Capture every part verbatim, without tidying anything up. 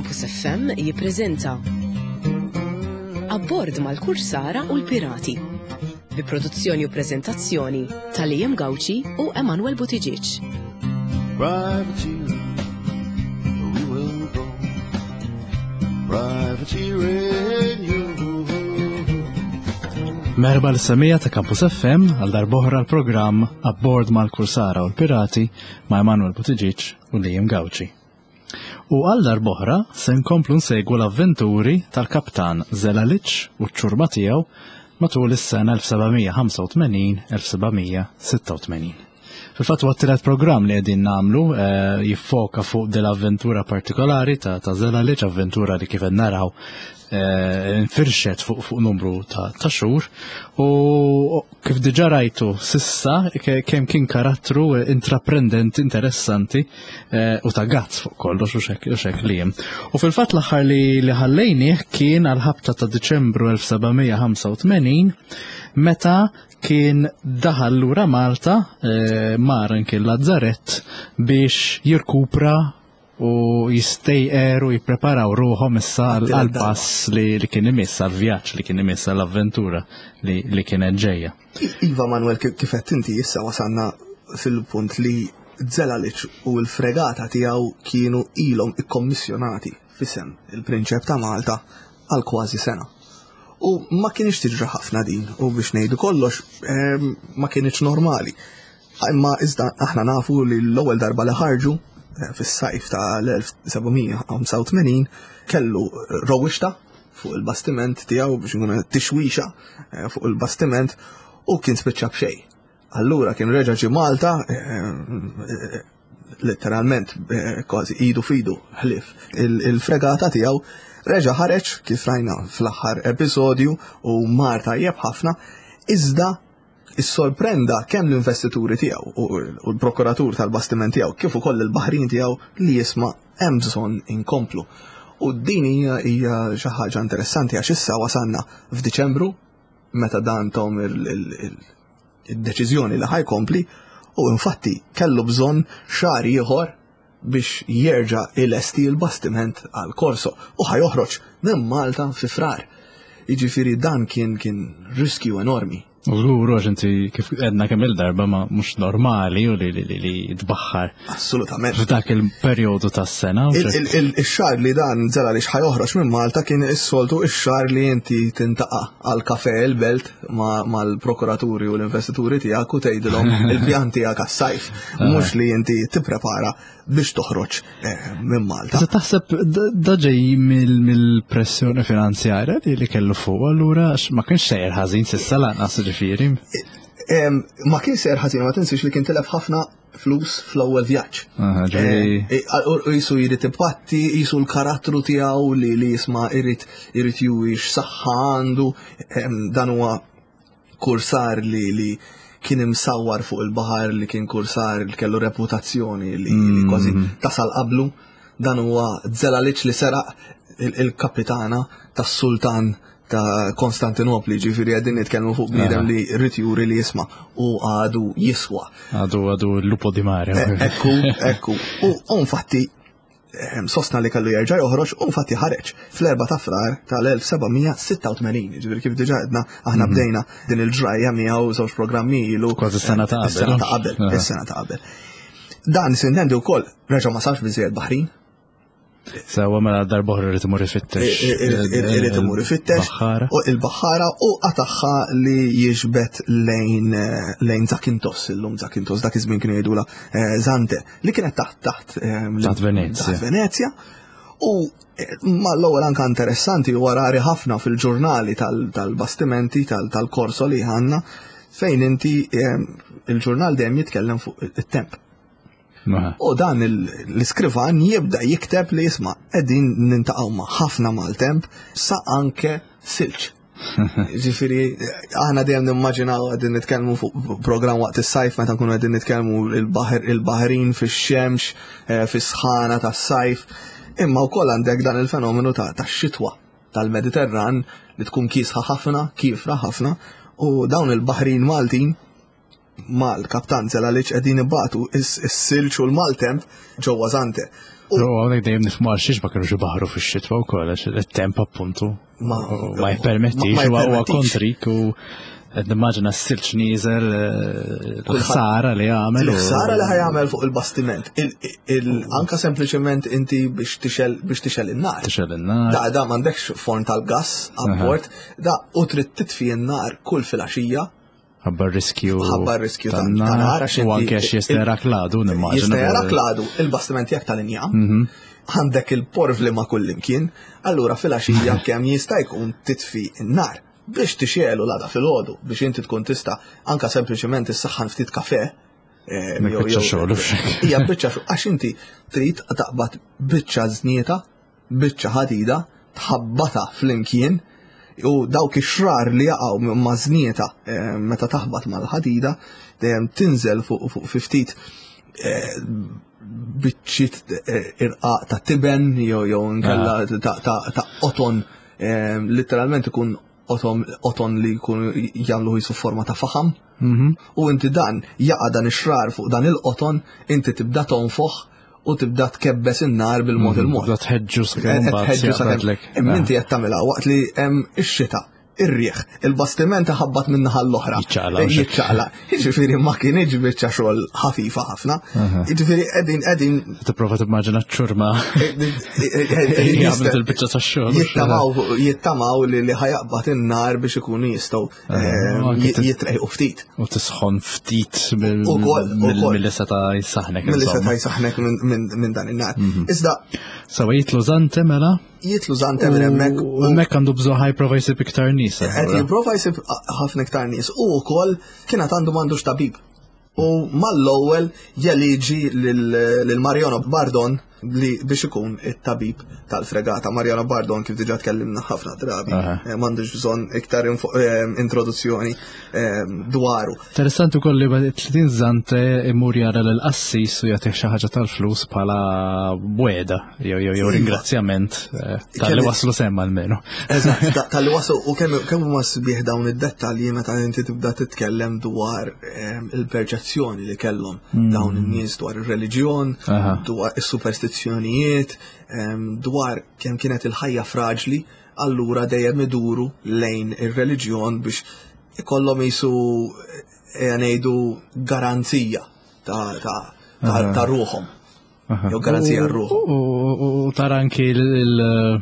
Campus F M jippreżenta Abbord mal-Kursara u l-Pirati, bi produzzjoni u preżentazzjoni ta' Liam Gauci u Emanuel Buttigieg. Privateering, we will go. Privateering, you. Merħba lis-semmiegħa ta' Campus F M għal darb'oħra l-programm Abbord mal-Kursara u l-Pirati ma' Emanuel Buttigieg u Liam Gauci. U għal darb'oħra se nkomplu nsegwu l-avventuri tal-kaptan Zelalic u ċ-ċurma tiegħu matul is-sena elf seba' mija ħamsa u tmenin-elf seba' mija sitta u tmenin. Fil-fatt huwa t-tielet programm li qegħdin nagħmlu eh, jiffoka fuq dell-avventura partikolari ta' ta' Zelalic, avventura li kif qed naraw eh, infirxet fuq fuq numru ta' ta' xhur u kif diġà rajtu sissa ke- kemm kien karattru intraprendenti, interessanti eh, u ta' guts fuq kollox u xek u xek li hemm. U fil-fatt l-aħħar li li ħallejnieh kien għal ħabta ta' Diċembru elf seba' mija ħamsa u tmenin, meta kien daħal lura Malta, eh, mar anke Lazzarett biex jirkupra u jistejqer u jippreparaw ruħhom issa għal għat-tielet pass li, li kien imiss, għal vjaġġ li kien imiss, għall avventura li, li kienet ġejja. Iva Manuel, kif kif qed inti, issa wasanna fil-punt li Zelalic u l-fregata tiegħu kienu ilhom ikkommissjonati f'isem il-Prinċep ta' Malta għal kważi sena. U ma kienx tiġri ħafna din, u biex ngħidu kollox ehm, ma kienx normali. Imma iżda aħna nafu li l-ewwel darba li ħarġu eh, fis-sajf ta' l-elf seba' mija ħamsa u tmenin kellu rewwixta fuq il-bastiment tiegħu, biex nkunu tixwixa eh, fuq il-bastiment, u kien spiċċa b'xejn. Allura kien reġa' ġie Malta eh, letteralment eh, kważi idu f'idu ħlief il-fregata tiegħu. Reġa' ħareġ kif rajna fl-aħħar episodju u mar tajjeb ħafna, iżda issorprenda kemm l-investituri tiegħu u u l-prokuratur tal-bastiment tiegħu kif ukoll il-baħrin tiegħu li jisma' hemm bżonn inkomplu. U din hija hija xi ħaġa interessanti għax issa wasanna f'Diċembru meta dan tom il-deċiżjoni li ħa jkompli, u infatti kellu bżonn xahar ieħor biex jerġa' ilesti l-bastiment għal korso u ħa joħroġ minn Malta fi Frar. Jiġifieri dan kien kien riskju enormi. U żgur, għax inti kif għedna kemm il-darba ma mhux normali u li li li, li tbaħħar Assolutament. f'dak il-perjodu tas-sena. U Il- xek- il- il- Ix-xahar li dan Zelalic ħa joħroġ minn Malta kien is-soltu ix-xahar li inti tiltaqa' għal kafe il-belt ma- mal-prokuraturi u l-investituri tiegħek u tgħidilhom il-pjan tiegħek għas-sajf, mhux li inti tipprepara biex toħroġ eh, minn Malta. Se taħseb da- da ġej mill- mill-pressjoni finanzjarja li li kellu fuq allura, għax ma kienx sejjer ħażin s'issa lanqas, ġifieri. Em, Ma kien sejjer ħażin, ma tinsiex li kien tilef ħafna flus fl-ewwel vjaġġ. Aha, ġifieri- Eh, eh, u jisu jrid ipatti, jisu l-karattru tiegħu li li jisma' irid irid juri x'saħħa għandu, em, dan huwa kursar li li kien imsawwar fuq il-baħar, li kien kursar li kellu reputazzjoni li, li kważi tasal qablu. Dan huwa Zelalic li seraq il- il-kapitana tas-sultan ta' Konstantinopli, ġifieri qegħdin nitkellmu fuq bniedem li rrid juri li jisma' u għadu jiswa. Għadu għadu l-lupo di mare. Ekku, ekku. U u infatti ehm, sostna li kellu jerġa' joħroġ, u infatti ħareġ fl-erba' ta' Frar tal-elf seba' mija sitta u tmenin. Ġifieri kif diġà għedna aħna bdejna din il-ġrajja miegħu żewġ programmi ilu. Kważi sena ta' qabel. Is-sena ta' qabel, Aha. is-sena ta' qabel. Dan s'intendi wkoll reġa' ma sarx biżejjed baħrin. Sewa, mela darb'oħra irid imur ifittex. Irid imur ifittex Baħħara. u il-baħħara u qataħħa li jiġbed lejn eh, lejn Zakintos, illum Zakintos, dak iż-żmien kienu jgħidula eh, Zante, li kienet taħt taħt eh, Taħt Venezia. Taħt Venezia. U eh, ma l-ewwel anka interessanti u rari ħafna fil-ġurnali tal- tal-bastimenti tal- tal-korso li għandna, fejn inti eh, il-ġurnal dejjem jitkellem fuq it-temp. Ma. U dan il- l-iskrivan jibda jikteb li jisma' qegħdin niltaqgħu ma' ħafna maltemp sa anke silġ. Ġifieri, aħna dejjem nimmaġinaw qegħdin nitkellmu fuq programm waqt is-sajf meta nkunu qegħdin nitkellmu il-baħar, il-baħrin fix-xemx, eh, fis-sħana tas-sajf, imma wkoll għandek dan il-fenomenu ta' tax-xitwa tal-Mediterran li tkun kiesħa ħafna, kiefra ħafna, u dawn il-baħrin Maltin Mal-kaptan Zelalic qegħdin ibatu is-silġ u l-maltemp ġewwa Zante. U hawnhekk dejjem nifhmu għal xiex ma kinux ibaħru fix-xitwa wkoll, għax it-temp appuntu Ma ma jippermettix, huwa huwa kontrik u qed nimmaġina s-silġ nieżel, eh, l-ħsara li jagħmel. u- Il-ħsara li ħa jagħmel fuq il-bastiment, il- il- anka sempliċement inti biex tixgħel biex tixgħel in-nar. Tixgħel in-nar. Da da m'għandekx forn tal-gas abbord, da u trid titfi n-nar kull filgħaxija. Ħabba riskju. Ħabba riskju ta' ta' nar, għax U inti- anke għax jista' jarak l-għadu, nimmaġina. Jista' jarak l-għadu, il-bastiment jekk tal-injam, għandek il-porvli ma' kull imkien, allura filgħaxija kemm jista' jkun titfi n-nar biex tixgħelu l-għada filgħodu, biex inti tkun tista' anka sempliċement issaħħan ftit kafe. eh, Mek jew- biċċa jew- xogħol, u xek. Hija biċċa xogħol, għax inti trid taqbad biċċa żnieta, biċċa ħadida, tħabbata flimkien u dawk ix-xrar li jaqgħu ma' żnieta eh, meta taħbat mal-ħadida dejjem tinżel fuq fuq fi ftit eh, biċċiet eh, irqaq ta' tiben jew jew inkella ta' ta' ta' qoton, eh, literalment ikun qoton qoton li jkun jagħmlu jisu forma ta' faħam. Mhm. U inti dan jaqa' dan ix-xrar fuq dan il-qoton, inti tibda tonfoħ u tibda tkebbes in-nar bil-mod il-mod. Tibda tħeġġu sakemm Qed mbagħad tħeġġu sakemm- jaqbadlek. Imma inti qed tagħmilha waqt li hemm ix-xita, ir-riħ, il-bastiment ħabbat minn naħa l-oħra. Jiċċaqla, u xek. Jiċċaqla. Jiġifieri ma kienx biċċa xogħol ħafifa ħafna. Jiġifieri qegħdin qegħdin Tipprova timmaġina ċ-ċurma jagħmlu il-biċċa tax-xogħol. jittamaw jittamaw li li ħa jaqbad in-nar biex ikunu jistgħu eh, u anke jit- jitrejqu ftit. U tisħon ftit mill- Ukoll, mill- ukoll. mill-li seta' jsaħnek. Mill-li insomma. seta' jsaħnek minn- minn minn dan in-nar. Iżda Sawa jitlu Zante mela. Jitlu Zante minn hemmhekk U hemmhekk għandu bżonn ħa jipprova jsib iktar nies. Qed allura. jipprova jsib ħafna iktar nies u wkoll kienet għandu m'għandux tabib. U mal-ewwel jeliġi lil lil Mariano Bardon li biex ikun it-tabib tal-fregata. Mariano Bardon, kif diġà tkellimna ħafna drabi, Aha. eh, m'għandux bżonn iktar info- eh, introduzzjoni eh, dwaru. Interessanti ukoll li tletin Zante imur jara l-qassis u jagħtih xi ħaġa tal-flus bħala wegħda jew jew jew Iva. ringrazzjament eh, tal-li Kemm- waslu s'hemm almenu. Eżatt, ta- tal-li waslu u kemm kemm huma sbieħ dawn id-dettalji meta inti tibda titkellem dwar ehm, il-perċezzjoni li kellhom dawn in-nies dwar ir-reliġjon, Aha. dwar is-superstizzjonijiet, ehm, dwar kemm kienet il-ħajja fraġli, allura dejjem iduru lejn ir-reliġjon biex ikollhom jisu eh, ngħidu garanzija ta' ta' ta' ta' ruħhom. Jew garanzija r-ruħ. U u- u tara anki il- il-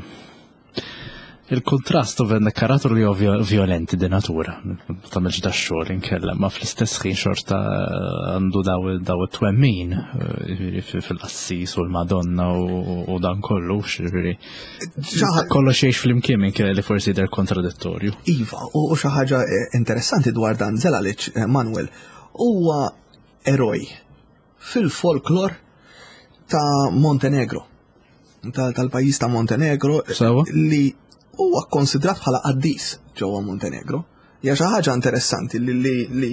il-kontrast u għandek karattru li huwa vio- violenti di natura. Ma tagħmilx da xogħol inkella, ma fl-istess ħin xorta għandu daw daw it-twemmin eh, jiġifieri fil-qassis u l-Madonna u u dan kollu, jiġifieri Xi kollox jgħix flimkien minkejja li forsi jidher kontradittorju. Iva, u u xi ħaġa eh, interessanti dwar dan Zelalic, eh, Manuel, huwa eroj fil-folklor ta' Montenegro, tal- tal-pajjiż ta' Montenegro, eh, Sewa. li huwa konsidrat bħala qaddis ġewwa Montenegro. Hija xi ħaġa interessanti li, li, li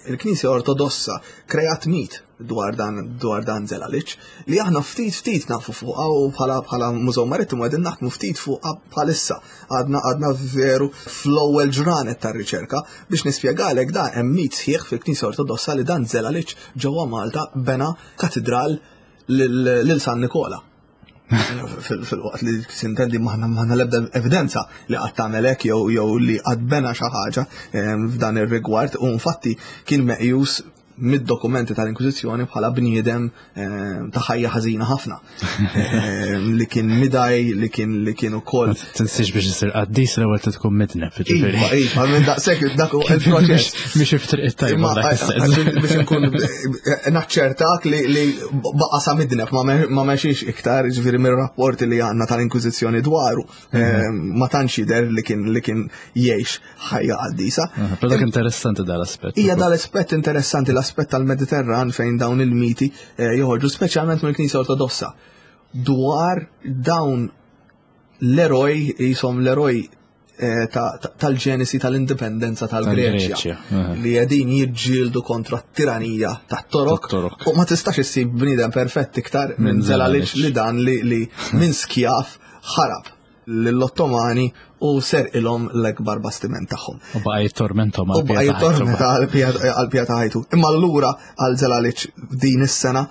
l-Knisja Ortodossa kreat mit dwar dan dwar dan Zelalic li aħna ftit ftit nafu fuqha u bħala bħala Mużew Marittimu qegħdin naħdmu ftit fuqha bħalissa. Għadna għadna veru fl-ewwel ġranet tar-riċerka. Biex nispjegalek, dan hemm mit sħiħ fil-Knisja Ortodossa li dan Zelalic ġewwa Malta bena katedral lil lil San Nikola. Fil- Fil-waqt li sintendi m'aħna m'aħna l-ebda evidenza li qatt tagħmel hekk jew jew li qatt bena xi ħaġa em, f'dan ir-rigward, u infatti kien meqjus mid-dokumenti tal-Inkwiżizzjoni bħala bniedem em, ta' ħajja ħażina ħafna. Em, li kien midaj, li kien li kien ukoll Ma tinsiex, biex isir qaddis l-ewwel tkun midneb, jiġifieri. Iva, iva, minn daqshekk dak huwa il-proċess. Mhix iftriq it-tajba Imma dak għax istess. biex nkun naċċertak li li baqa sa midneb, ma me- ma mexiex iktar, ġifieri mir-rapporti li għandna tal-Inkwiżizzjoni dwaru, eh, ma tantx jidher li kien li kien jgħix ħajja qaddisa. Però dak interessanti dal-aspett. Hija dal-aspett interessanti, l-aspett tal-Mediterran fejn dawn il-miti eh, joħorġu speċjalment mill-Knisja Ortodossa dwar dawn l-eroj, jisom l-eroj eh, ta- ta- tal-ġenesi tal-indipendenza tal-Greċja Tal-Greċja, aha. li qegħdin jiġġieldu kontra t-tiranija tat-Torok Tat-Torok. u ma tistax issib bniedem perfett iktar minn Minn Zelalic Zelalic. li dan li, li minn skjaf ħarab lill-Ottomani u serqilhom l-ekbar bastiment tagħhom. U baqa' jittormentom U baqa' jittormenta għall-bqija ta' ħajtu. Imma allura għal Zelalic din is-sena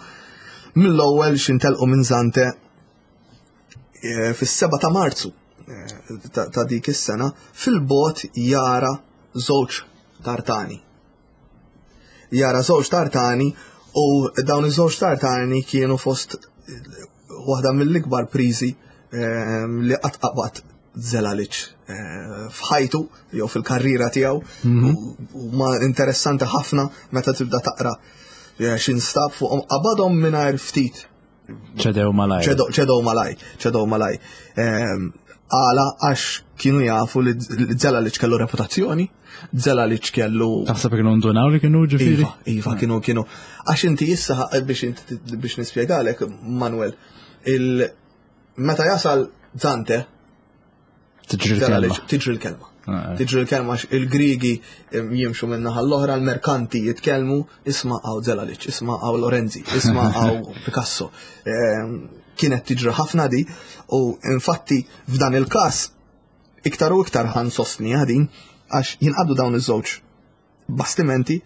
mill-ewwel xintelqu minn Zante eh, fis-seba ta' Marzu eh, ta' dik is-sena fil-bot jara żewġ tartani. Jara żewġ tartani u dawn iż-żewġ tartani kienu fost waħda mill-ikbar prizi eh, li qatt qabad Zelalic f'ħajtu jew fil-karriera tiegħu u ma interessanti ħafna meta tibda taqra x'instab fuqhom qabadhom mingħajr ftit. Ċedew malaj. Ċedew malaj, ċedew malaj. Għala għax kienu jafu li Zelalic kellu reputazzjoni, Zelalic kellu. Taħseb kienu ndunaw li kienu ġifieri? Iva, iva kienu kienu. Għax inti issa biex biex nispjegalek Manuel, il meta jasal Zante tiġri l-kelma. Tiġri l-kelma. Tiġri l-kelma il-Grigi jimxu minn naħa l-oħra, l-merkanti jitkellmu, isma' għaw Zelalic, isma' għaw Lorenzi, isma' għaw Picasso. Kienet tiġri ħafna di, u infatti f'dan il-każ iktar u iktar ħan sostni din għax jinqabdu dawn iż-żewġ bastimenti.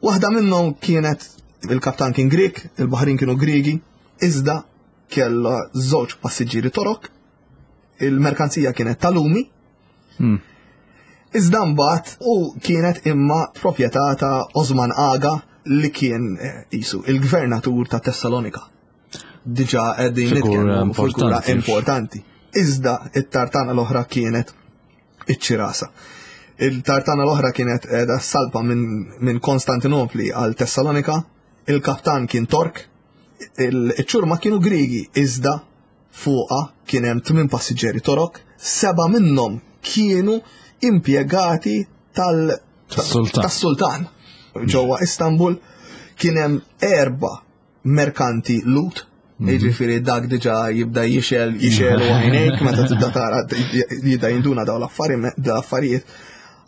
Waħda minnhom kienet il-kaptan kien Grek, il-baħrin kienu Grigi, iżda kellha żewġ passiġġieri Torok, il-merkanzija kienet tal-lumi. Hmm. Iżda mbagħad u kienet imma proprjetà ta' Osman Aga li kien isu il-gvernatur ta' Tessalonika. Diġà qegħdin nitkellmu figura importanti. Iżda it-tartana l-oħra kienet iċ-Ċirasa. Il-tartana l-oħra kienet qiegħda salpa minn min Konstantinopli għal Tessalonika, il-kaptan kien Tork, il-ċurma kienu Grigi, iżda fuqa kien hemm tmien passiġġieri Torok, seba' minnhom kienu impjegati tal-sultan. Ġewwa Istanbul kien hemm erba' merkanti Lut, jiġifieri dak diġà jibda jixel jixel u għajnejk meta tibda tara jibda jinduna dawn l-affarijiet.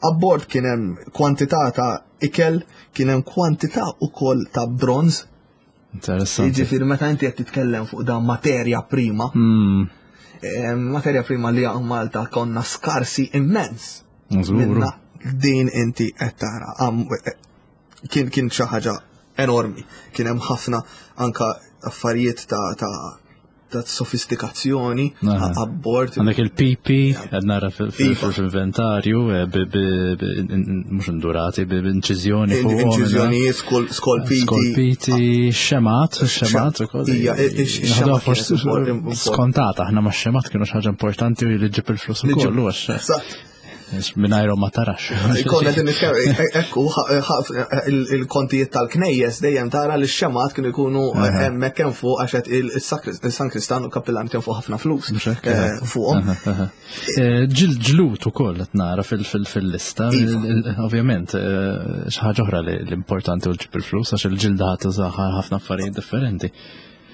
Abbord kien hemm kwantità ta' ikel, kien hemm kwantità wkoll ta' bronz. Interessanti. Jiġifieri meta inti qed titkellem fuq dan materja prima, materja prima li hawn Malta konna skarsi immens. Minna din inti qed tara kien kien xi ħaġa enormi. Kien hemm ħafna anka affarijiet ta' ta' ta' sofistikazzjoni abbord. Għandek il-pipi, qed nara fil-inventarju, mhux indurati, b'inċiżjoni fuq. Inċiżjonijiet, skolpiti. Skolpiti, xemat, xemat ukoll. Ija, ix-xemat. Skontata, aħna ma xemat kienu xi ħaġa importanti u li ġib il-flus ukoll, għax. Mingħajrhom ma tarax. Konna qed nitkellem, ekku il-kontijiet tal-knejjes dejjem tara li x-xemat kienu jkunu hemmhekk hemm fuq għax qed il-San Kristan u kappillan kien fuq ħafna flus fuqhom. Ġlut ukoll qed nara fil-lista, ovvjament xi ħaġa oħra li importanti u ġib il-flus għax il-ġilda ħadd tużaha ħafna affarijiet differenti.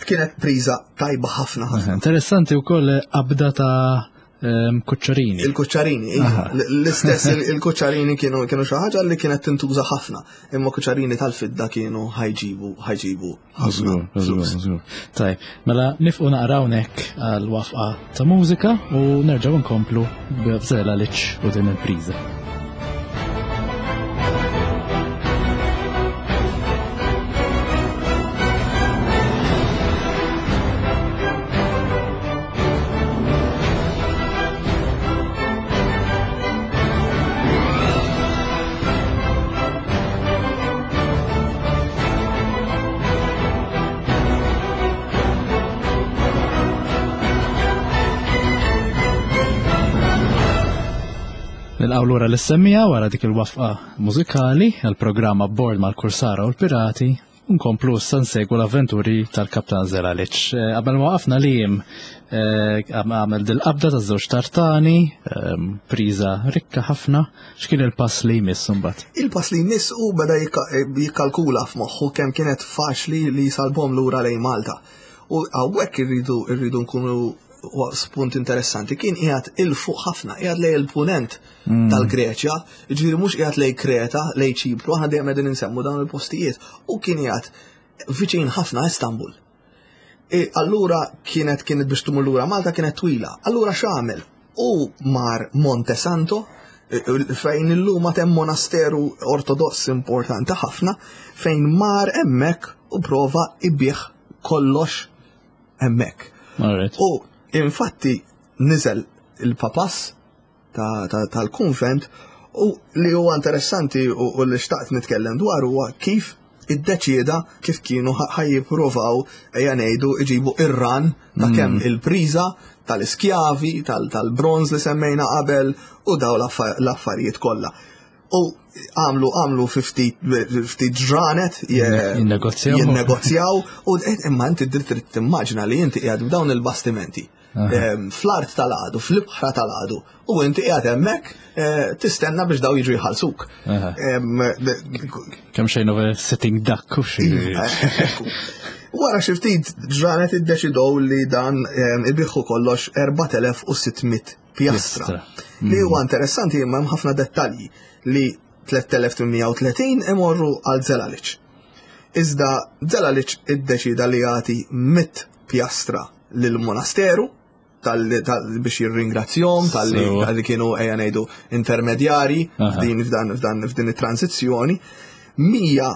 Kienet priża tajba ħafna ħafna. Interessanti wkoll qabda ta' kuċċarini. Il-kuċċarini, l-istess il-kuċċarini kienu kienu xi ħaġa li kienet tintuża ħafna, imma kuċċarini tal-fidda kienu ħajġibu ħajġibu ħafna. Tajb, mela nifqu naqra hawnhekk għal wafqa ta' mużika u nerġgħu nkomplu b'Zelalic u din il-priża. Nilqgħu lura l-semmija wara dik il-wafqa mużikali għall-programm Abbord mal-Kursara u l-Pirati u nkomplu issa nsegwu l-avventuri tal-Kaptan Zelalic. Qabel ma waqafna li jiem għamel dil-qabda taż-żewġ tartani, priża rikka ħafna, x'kien il-pass li jmiss imbagħad? Il-pass li jmiss u beda jikkalkula f'moħħu kemm kienet faċli li salbhom lura lejn Malta. U hawnhekk irridu irridu nkunu spunt interessanti, kien qiegħed il fuq ħafna, qiegħed lej il-punent tal-Greċja, jiġifieri mhux qiegħed lej Kreta, lej Ċipru, aħna dejjem qegħdin insemmu dawn il-postijiet, u kien qiegħed viċin ħafna Istanbul. E allura kienet kienet biex tmur lura Malta kienet twila. Allura x'għamel? U mar Monte Santo, fejn illum hemm monasteru ortodoss importanti ħafna, fejn mar hemmhekk u prova ibigħ kollox hemmhekk. Alright. U infatti niżel il-papas tal-kunvent u li huwa interessanti u, u li xtaqt nitkellem dwar huwa kif iddeċieda kif kienu ħa jippruvaw ejja ngħidu iġibu ir-ran ta' kemm il-priża tal-iskjavi, tal-bronz li semmejna qabel u daw l-affarijiet kollha. U għamlu għamlu ftit ftit ġranet Jinnegozjaw. jinnegozjaw u imma inti trid timmaġina li inti qiegħed b'dawn il-bastimenti fl-art tal-għadu, fl-ibħra tal-għadu, u inti qiegħed hemmhekk eh, tistenna biex daw jiġu jħallsuk. Kemm xejn over sitting duck u xi. Iva, Wara xi ftit ġranet iddeċidew li dan ibigħu kollox erbat elef u sitt mitt pjastra. Pjastra. Li huwa interessanti, imma hemm ħafna dettalji li tliet elef u tmien mija u tletin imorru għal Zelalic. Iżda Zelalic iddeċida li jagħti mitt pjastra lill-monasteru tal, tal, biex jirringrazzjahom tal-li Sewa. tal-li kienu ejja ngħidu intermedjari Aha. f'din f'dan f'dan f'din it-transizzjoni. Mija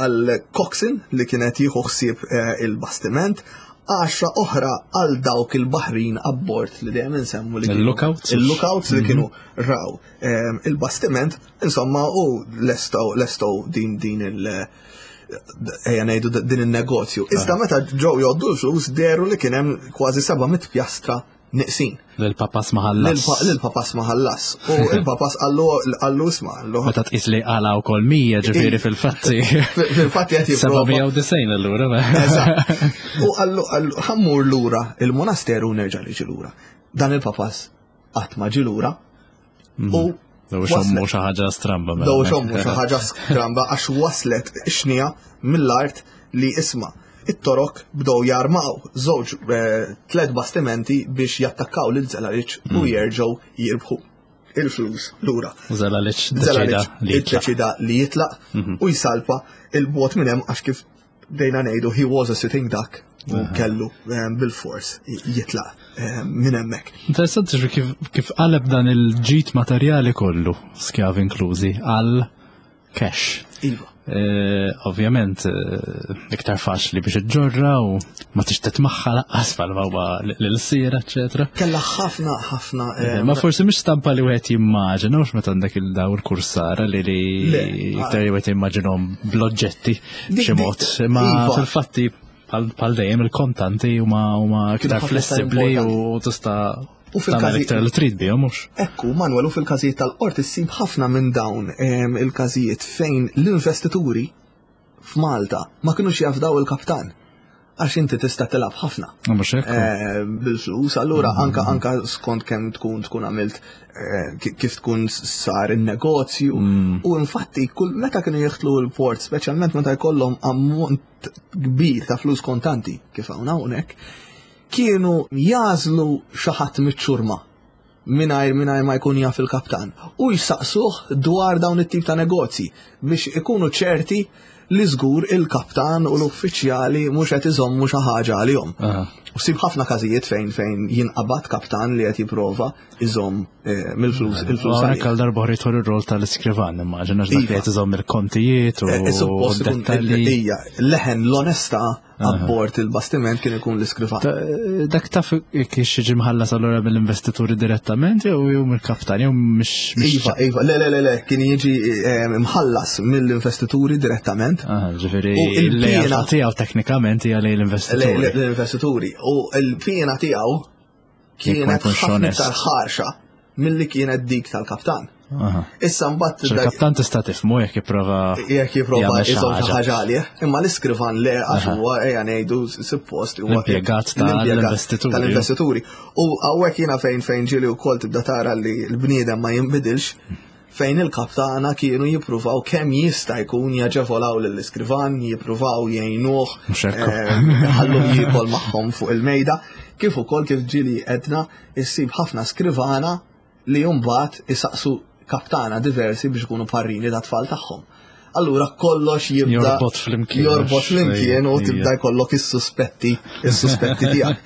għal coxswain li kienet jieħu ħsieb eh, il-bastiment, għaxra oħra għal dawk il-baħrin abbord li dejjem insemmu li kienu- Il-lookouts? Il-lookouts li kienu raw eh, il-bastiment, insomma, u lestow lestow din din il- ejja ngħidu din il-negozju. Iżda meta ġew jgħoddu l-flus dehru li kien hemm kważi seba' mitt pjastra neqsin. Lil-papas ma ħallas. Lil-papas ma ħallas. U il-papas qallu qallu isma' qallu Meta tqis li qala wkoll mija, ġifieri fil-fatti. Fil-fatti qed jipprova. seba' mija u disgħin allura. Eżatt. U qallu qallu ħa mmur lura il-monasteru u nerġa' li lura. Dan il-papas qatt ma ġie lura. U Daw xommu xi ħaġa stramba mela. Daw xommu xi ħaġa stramba għax waslet xnija mill-art li isma' it-Torok bdew jarmaw żewġ eh, tliet bastimenti biex jattakkaw lil Zelalic u jerġgħu jirbħu il-flus lura. Zelalic deċida Zelalic li jitlaq. iddeċida li jitlaq u jsalpa il-bot minn hemm għax kif bdejna ngħidu he was a sitting duck u kellu eh, bil-fors jitlaq eh, minn hemmhekk. Interessanti xi kif, kif qaleb dan il-ġid materjali kollu, skjavi inklużi, għal cash. Iva. Eh, ovvjament, eh, iktar faċli biex iġġorra u ma tixtet magħha laqqas bħalma huwa l-sira, eċetera. Kella ħafna ħafna eh, Ma forsi mhix stampa li wieħed jimmaġina, mhux meta għandek il-daw il-kursara li li Le, iktar li wieħed jimmaġinhom bl-oġġetti Dik- b'xi dik- mod. Ma iva. fil-fatti bħal bħal dejjem il-kontanti huma huma iktar ħafna iktar flessibbli u importanti. tista' U fil-każi- tagħmel iktar li trid bihom mhux. Ekku, Manuel, u fil-każijiet tal-qorti ssib ħafna minn dawn em, il-każijiet fejn l-investituri f'Malta ma kinux jafdaw il-kaptan. Għax inti tista' tilgħab ħafna Mhux hekk. eh, bil-flus, allura anka anka skont kemm tkun tkun għamilt eh, ki- kif tkun sar il-negozju. U infatti kull meta kienu jidħlu l-port, speċjalment meta jkollhom ammont kbir ta' flus kontanti kif hawn hawnhekk, kienu jagħżlu xi ħadd miċ-ċurma mingħajr mingħajr ma jkun jaf il-kaptan u jsaqsuh dwar dawn it-tip ta' negozji biex ikunu ċerti li żgur il-kaptan u l-uffiċjali mhux qed iżommu xi ħaġa għalihom. Aha. U ssib ħafna każijiet fejn fejn jinqabad kaptan li qed jipprova iżomm eh, mill-flus il-flus. Hawnhekk għalih. għal darba oħra jidħol ir-rol tal-iskrivan, immaġina għax dak li Iva. qed iżomm il-kontijiet u Eh, Suppost ikun dettalji. hija leħen l-onestà abbord il-bastiment kien ikun l-iskrivan. Ta- Dak taf kif jiġi mħallas allura mill-investituri direttament jew jew mill-kaptan jew mhix mhix Iva, iva, le, le, le, le, kien jiġi eh, mħallas mill-investituri direttament. Ah, ġifieri U il-piena- l-lealtà tiegħu teknikament hija lejn Le- l-investituri. le- L-investituri. U l-piena tiegħu Jekk ma kienet jkunx ħafna onest. iktar ħarxa milli kienet dik tal-kaptan. Aha. Issa mbagħad dak- Il-kaptan tista' tifhmu jekk jipprova jekk jipprova jagħmel xi iżomm xi ħaġa. ħaġa għalih, imma l-iskrivan le għax huwa ejja ngħidu suppost huwa L-impjegat l-impjegat tal-investituri. tal-investituri. U hawnhekk jiena fejn fejn ġieli wkoll tibda tara li l-bniedem ma jinbidilx fejn il-kaptana kienu jippruvaw kemm jista' jkun jaġevolaw lill-iskrivan, jippruvaw jgħinuh, Mhux hekk. eh, ħallu jiekol magħhom fuq il-mejda, kif ukoll kif ġieli edna issib ħafna skrivana li mbagħad isaqsu kaptana diversi biex ikunu parrini ta' tfal tagħhom. Allura kollox jibda Jorbot flimkien. Jorbot flimkien u Ija. tibda jkollok is-suspetti, is-suspetti tiegħek.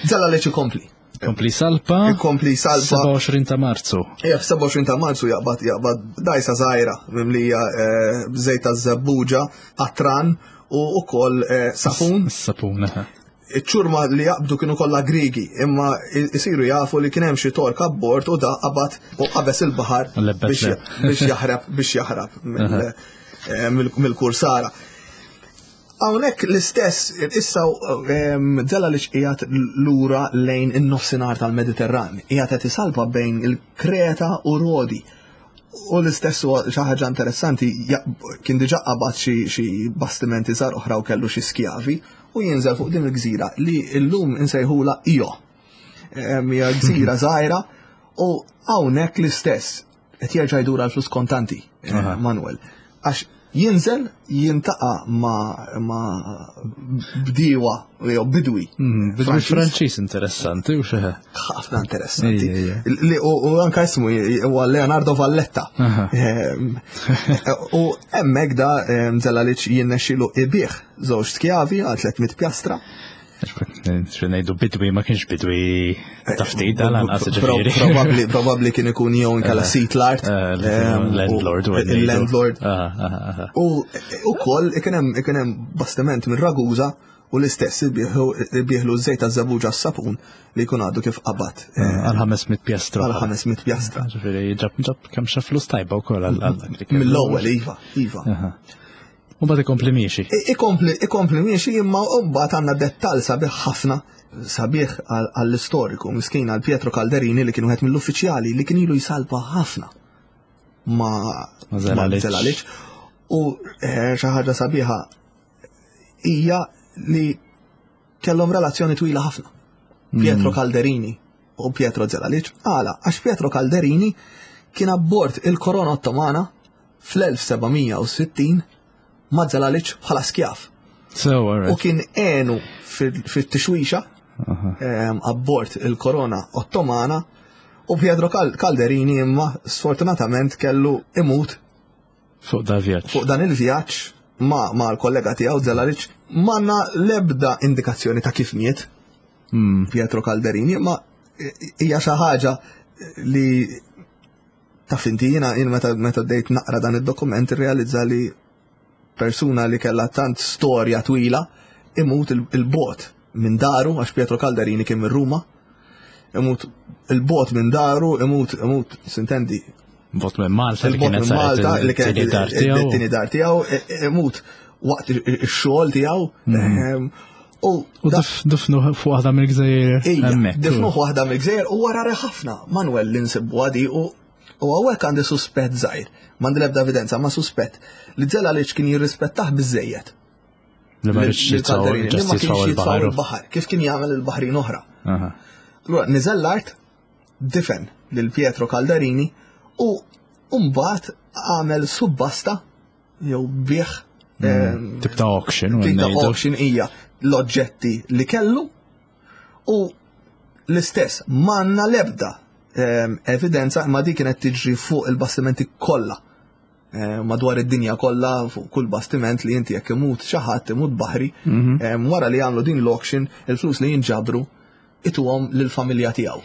Zelalic ikompli. Kompli salpa. Ikompli salpa. sebgħa u għoxrin ta' Marzu. Ija, f'sebgħa u għoxrin ta' Marzu jaqbad jaqbad dajsa żgħira mimlija eh, b'żejt ta' żebbuġa, qatran u ukoll eh, sapun. Sapun, aha. Iċ-ċurma li jaqbdu kienu kollha Grigi, imma isiru jafu li kien hemm xi Tork abbord u da qabad u qabeż il-baħar Lebbet biex le. biex jaħrab biex jaħrab mill- eh, mill- mill-kursara. Hawnhekk l-istess, issa Zelalic qiegħed lura lejn in-nofsinhar tal-Mediterran, qiegħed qed isalpa bejn il-Kreta u Rodi. U l-istess huwa xi ħaġa interessanti, ja- kien diġà qabad xi xi bastimenti żgħar oħra u kellu xi skjavi u jinżel fuq din il-gżira li llum insejħula Io. Em, Hija gżira żgħira u hawnhekk l-istess qed jerġa' jdur għal flus kontanti, eh, Aha. Manuel. Għax jinżel jiltaqa' ma, ma bdiewa jew bidwi. Mm, Bidwi Franċiż. Franċiż interessanti u xeħe. Ħafna interessanti. Ija, ija. Li- U u anka ismu huwa Leonardo Valletta. Aha. Ehm, U hemmhekk da ehm, Zelalic jirnexxielu ibigħ żewġ skjavi għal tliet mitt pjastra. Xi ngħidu bidwi ma kienx bidwi ta' ftit għal anqas Pro- ġifieri. Probabli probabli kien ikun jew inkella sid l-art. Eh, ehm, u- Landlord u Il-landlord. Aha, aha, aha. U ukoll ikun hemm ikun hemm bastiment minn Ragusa u l-istess ibigħlu żejt ta' żebbuġa s-sapun li jkun għadu kif qabad eh, Għal ħames mitt pjastra. għal ħames mitt pjastra. Ġifieri ġab ġab kemm xa flus tajba wkoll għal għal dak li kellu. Mill-ewwel, iva, iva. Aha. U mbagħad ikompli miexi. I- Ikompli ikompli miexi imma mbagħad għandna dettal sabiħ ħafna, sabiħ għal- għall-istoriku miskin għal Pietro Calderini li kien wieħed mill-uffiċjali li kien ilu jsalpa ħafna ma Ma Zelalic. Zelalic. U eh, xi ħaġa sabiħa hija li kellhom relazzjoni twila ħafna. Pietro Calderini u Pietro Zelalic. Għala, għax Pietro Calderini kien abbord il-Korona Ottomana fl-elf seba' mija u sittin ma' Zelalic bħala skjav. So, U alright. kien għenu fil- fit-tixwixa em, abbord il-Korona Ottomana u Pietro Cal- Calderini imma sfortunatament kellu imut Fuq da vjaġġ. fuq dan il-vjaġġ ma, ma l-kollega tiegħu Zelalic. M'għandna lebda indikazzjoni ta' kif miet Mm. Pietro Calderini, ma hija xi ħaġa li taf inti jiena jien meta meta bdejt naqra dan id-dokument irrealizza li persuna li kellha tant storja twila imut il- il-bot minn daru, għax Pietro Calderini kien minn Ruma, imut il-bot minn daru, imut imut sintendi Bot minn Malta li il-bot kienet minn saret Malta li kienet it-tieni dar tiegħu. it-tieni dar tiegħu, i- imut waqt ix-xogħol tiegħu. Ehm, U U da- dif- difnu fuq waħda mill-gżejjer Ija, hemmhekk. difnuh waħda mill-gżejjer u wara ħafna Manuel li nsibu għadi u u hawnhekk għandi suspett żgħir, m'għandi l-ebda evidenza, ma suspett li Zelalic kien jirrispettah biżejjed. Li ma rridx lil jitfgħu Calderini, li ġast ma kienx jitfgħu jitfgħu il-baħar. il-baħar, kif kien jagħmel il-baħrin oħra. Aha. Allura niżel l-art, difen lil Pietro Calderini u mbagħad għamel subbasta jew biegħ ehm, Tip ta' auction. u tip ta' ngħidu. auction hija l-oġġetti li kellu u l-istess m'għandna lebda ehm, evidenza imma di kienet tiġri fuq il-bastimenti kollha eh, madwar id-dinja kollha fuq kull bastiment li inti jekk imut xi ħadd imut baħri ehm, wara li għamlu din l-auction il-flus li jinġabru ituhom lill-familja tiegħu.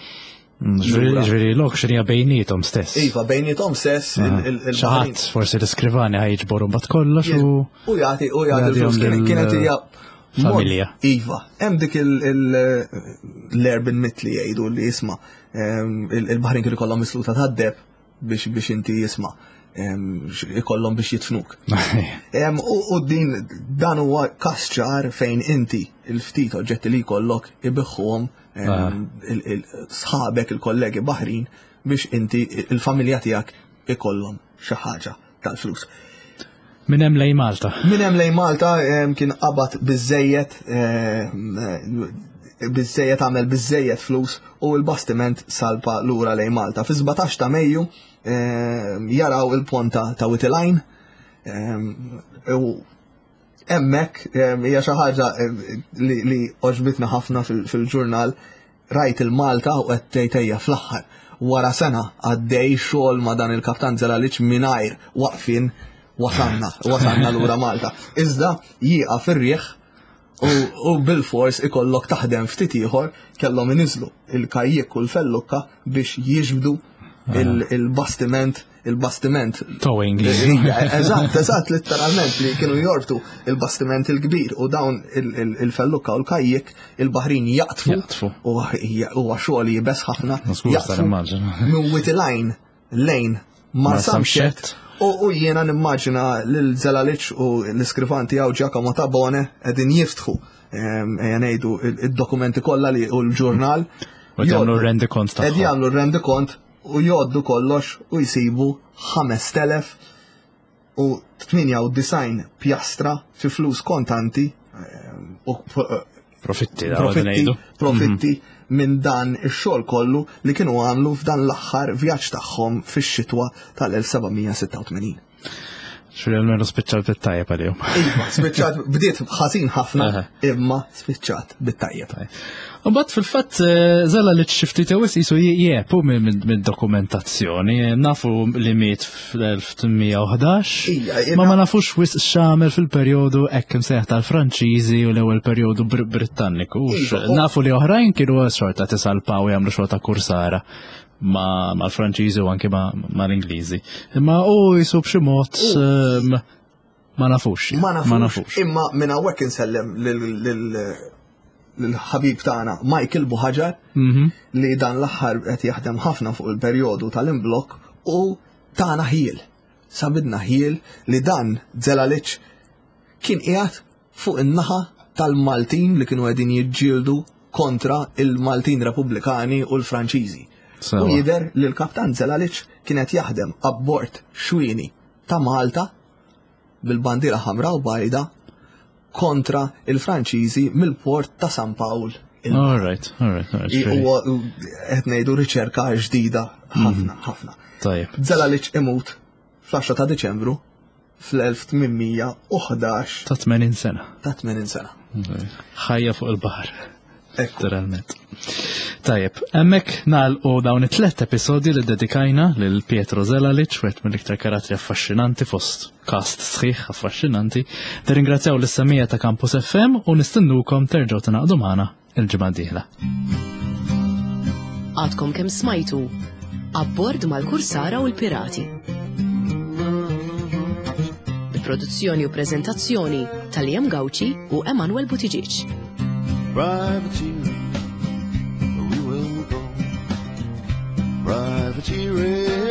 Mm, Ġifieri ġifieri l-auction hija bejniethom stess. Iva, bejniethom stess il- il- il- Xi ħadd forsi l-iskrivani ħa jiġboru mbagħad kollox u U jagħti u jagħti l-flus Jagħtihom kien- lil- kienet hija mod- familja. Iva, hemm dik il- il- l-urban myth li jgħidu li jisma' em, il- il-baħrin kienu ikollhom misluta tad-deheb biex biex inti jisma' em, x- ikollhom biex jitfnuk. Em, U u din dan huwa każ ċar fejn inti il-ftit oġġetti li jkollok ibigħhom em, il- il- sħabek il-kollegi baħrin biex inti il-familja tiegħek ikollhom xi ħaġa tal-flus. Minn hemm lejn Malta. Minn hemm lejn Malta em, kien qabad biżejjed em, biżejjed għamel biżejjed flus u l-bastiment salpa lura lejn Malta. Fi sbatax ta' Mejju em, jaraw il-ponta ta' Wied il-Għajn em, u hemmhekk em, hija xi ħaġa em, li, li għoġbitna ħafna fil- fil-ġurnal rajt il-Malta u qed tgħid ejja fl-aħħar. Wara sena għaddej xogħol ma' dan il-kaptan Zelalic mingħajr waqfin wasanna, wasanna lura Malta. Iżda jieqaf ir-riħ U, u bil-fors ikollok taħdem ftit ieħor, kellhom iniżlu il-kajjek u l-fellukka biex jiġbdu il- il-bastiment il-bastiment Towing. Eżatt, eżatt, letteralment li kienu jorbtu il-bastiment il-kbir u dawn il- il- il-fellukka u l-kajjek il-baħrin jaqtfu. Jaqtfu. U huwa xogħol iebes ħafna. Żgur, Jaqtfu nimmaġina. minn Wied il-Għajn lejn Marsamxett. U u jiena nimmaġina lil Zelalic u l-iskrivan tiegħu Giacomo Tabone qegħdin jiftħu, ehm, ejja ngħidu, il-dokumenti kollha li u l-ġurnal. U jagħmlu rendikont Qed tagħhom. jagħmlu rendikont u jgħoddu kollox u jsibu ħamest elef u tmienja u disgħin pjastra fi flus kontanti ehm, u Profitti, da profitti, ngħidu. profitti minn dan ix-xogħol kollu li kienu għamlu f'dan l-aħħar vjaġġ tagħhom fix-xitwa tal-elf seba' mija sitta u tmenin. Xuri almenu spiċċat bit-tajjeb għalihom. Iva, spiċċat, bdiet ħażin ħafna, Aha. imma spiċċat bit-tajjeb. Mbagħad fil-fatt eh, Zelalic xi ftit wisq qisu jiepu minn dokumentazzjoni. Nafu li miet fl-elf tmien mija u ħdax. Ija, Ma ma nafux wisq x'għamel fil-perjodu hekk imsejjaħ tal-Franċiżi u l-ewwel perjodu Br- Britanniku. Iva, u- Nafu li oħrajn kienu xorta tisalpaw jagħmlu xorta kursara ma mal-Franċiżi u anke ma mal-Ingliżi. Imma u qisu b'xi mod ehm, ma nafux. Ma nafux. Ma nafux. Imma minn hawnhekk insellem lil-ħabib tagħna Michael Buhaġar Mhm. li dan l-aħħar qed jaħdem ħafna fuq il-perjodu tal-imblok u tana ħjiel. Sabilna ħjiel li dan Zelalic kien qiegħed fuq in-naħa tal-Maltin li kienu qegħdin jiġġieldu kontra il-Maltin Repubblikani u l-Franċiżi. Sewa. U jidher li l-kaptan Zelalic kienet jaħdem abbord xwini ta' Malta bil-bandiera ħamra u bajda kontra il-Franċiżi mill-port ta' San Pawl. Il- All right, all right, all right. Huwa qed ngħidu riċerka ġdida ħafna, ħafna. Tajjeb. Zelalic imut fl-għaxra ta' Diċembru fl-elf tmien mija u ħdax Ta' tmenin sena. ta' tmenin sena. Ħajja fuq il-baħar. Ekku. Literalment. Tajjeb, hemmhekk nagħlqu dawn it-tlet episodji li dedikajna lil Pietro Zelalic, wieħed mill-iktar karattri affaxxinanti fost cast sħiħ affaxxinanti. Nirringrazzjaw lis-semmiegħa ta' Campus F M u nistennukom terġgħu tingħaqdu magħna il-ġimgħa d-dieħla. Għadkom kemm smajtu Abbord mal-Kursara u l-Pirati. Bi produzzjoni u prezentazzjoni ta' Liam Gauci u Emanuel Buttigieg. Privateer, we will go. Privateering.